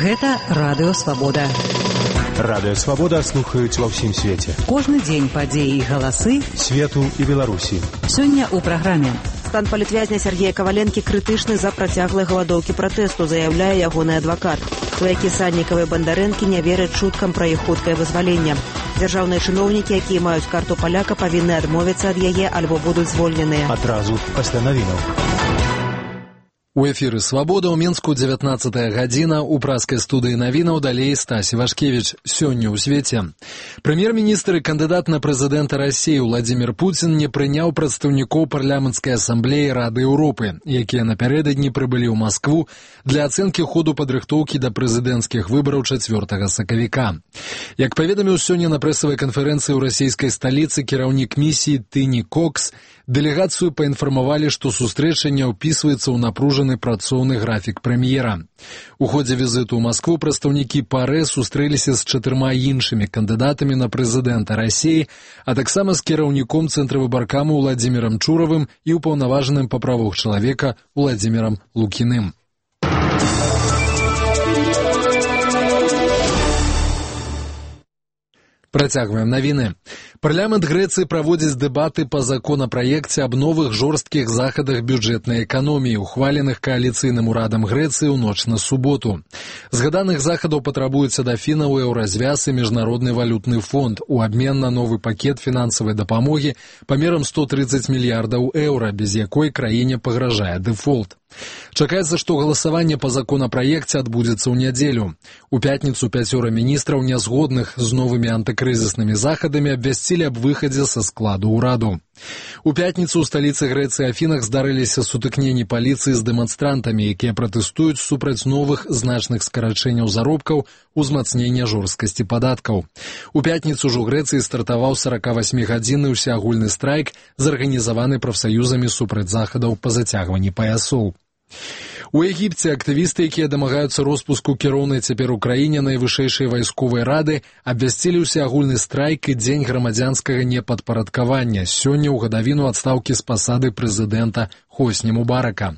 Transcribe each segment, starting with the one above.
Гэта Радыё Свабода. Радыё Свабода слухаюць ва ўсім свеце. Кожны дзень падзеі і галасы свету і Беларусі. Сёння ў праграме. Стан палітвязня Сергея Каваленкі крытычны за працяглай галадоўкі пратэсту, заяўляе ягоны адвакат. Сваякі Саднікава і Бандарэнкі не вераць чуткам пра іх хуткае вызваленне. Дзяржаўныя чыноўнікі, якія маюць карту паляка, павінны адмовіцца ад яе альбо будуць звольненыя. Адразу пасля навінаў. У эфіры «Свабода» ў Мінску 19 гадзіна. У праскай студыі навінаў далей Стась Івашкевіч. Сёння ў свеце. Прэм'ер-міністр і кандыдат на прэзідэнта Расіі Владзімір Пуцін не прыняў прадстаўнікоў парламенцкай асамблеі Рады Еўропы, якія напярэдадні прыбылі ў Маскву для ацэнкі ходу падрыхтоўкі да прэзідэнцкіх выбараў 4 сакавіка. Як паведаміў сёння на прэсавай канферэнцыі ў расійскай сталіцы кіраўнік місіі Тыні Кокс, дэлегацыю паінфармавалі, што сустрэча не ўпісваецца ў напружаны працоўны графік прэм'ера. У ходзе візіту ў Маскву прадстаўнікі ПАРЭ сустрэліся з 4 іншымі кандыдатамі на прэзідэнта Расіі, а таксама з кіраўніком цэнтравыбаркаму Владзімірам Чуравым і ўпаўнаважаным па правах чалавека Владзімірам Лукіным. Працягваем навіны. Парламент Грэцыі праводзіць дэбаты па законапраекце аб новых жорсткіх захадах бюджэтнай эканоміі, ухваленых кааліцыйным урадам Грэцыі ў ноч на суботу. Згаданых захадаў патрабуецца дафіна ў Еўразвяз і Міжнародны валютны фонд у абмен на новы пакет фінансавай дапамогі памерам 130 мільярдаў еўра, без якой краіне пагражае дэфолт. Чакаецца, што галасаванне па законапраекце адбудзецца ў нядзелю. У пятніцу 5 міністраў, нязгодных з новымі антыкрызіснымі захадамі, абвясцілі аб выхадзе са складу ўраду. У пятніцу ў сталіцы Грэцыі Афінах здарыліся сутыкненні паліцыі з дэманстрантамі, якія пратэстуюць супраць новых значных скарачэнняў заробкаў, узмацнення жорсткасці падаткаў. У пятніцу ж у Грэцыі стартаваў 48-гадзінны ўсеагульны страйк, зарганізаваны прафсаюзамі супраць захадаў па зацягванні паясоў. У Егіпце актывісты, якія дамагаюцца роспуску кіроўнай цяпер у краіне найвышэйшай вайсковай рады, абвясцілі ўсеагульны страйк і дзень грамадзянскага непадпарадкавання сёння ў гадавіну адстаўкі з пасады прэзідэнта Хосні Мубарака.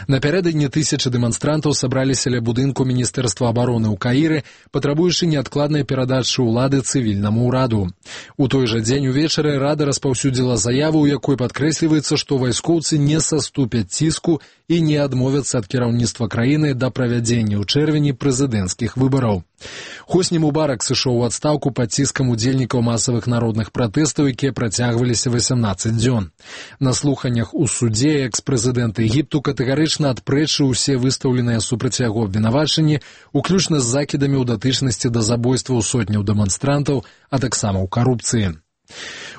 Напярэдадні тысячы дэманстрантаў сабраліся ля будынку Міністэрства абароны ў Каіры, патрабуючы неадкладнай перадачы ўлады цывільнаму ўраду. У той жа дзень увечары рада распаўсюдзіла заяву, у якой падкрэсліваецца, што вайскоўцы не саступяць ціску і не адмовяцца ад кіраўніцтва краіны да правядзення ў чэрвені прэзідэнцкіх выбараў. Хосні Мубарак сышоў у адстаўку пад ціскам удзельнікаў масавых народных пратэстаў, якія працягваліся 18 дзён. На слуханнях у судзе экс-прэзідэнт Егіпту катэгарычна адпрэчыў усе выстаўленыя супраць яго абвінавачанні, уключна з закідамі ў датычнасці да забойстваў сотняў дэманстрантаў, а таксама ў карупцыі.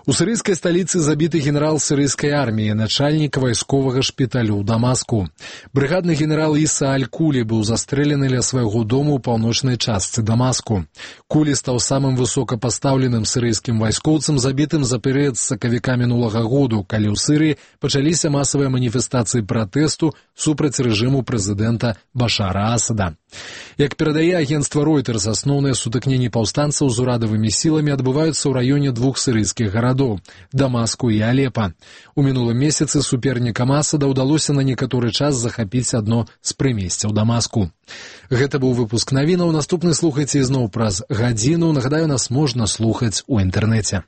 У сірыйскай сталіцы забіты генерал сірыйскай арміі, начальнік вайсковага шпіталю ў Дамаску. Брыгадны генерал Іса Аль-Кулі быў застрэлены ля свайго дому ў паўночнай частцы Дамаску. Кулі стаў самым высокапастаўленым сірыйскім вайскоўцам, забітым за перыяд з сакавіка мінулага году, калі ў Сірыі пачаліся масавыя маніфестацыі пратэсту супраць рэжыму прэзідэнта Башара Асада. Як перадае агенцтва Reuters, асноўныя сутыкненні паўстанцаў з урадавымі сіламі адбываюцца ў раёне двух сірыйскіх гарадоў – Дамаску і Алепа. У мінулым месяцы супернікам Асада ўдалося на некаторы час захапіць адно з прымесцяў Дамаску. Гэта быў выпуск навінаў. Наступны слухайце ізноў праз гадзіну. Нагадаю, нас можна слухаць у інтэрнэце.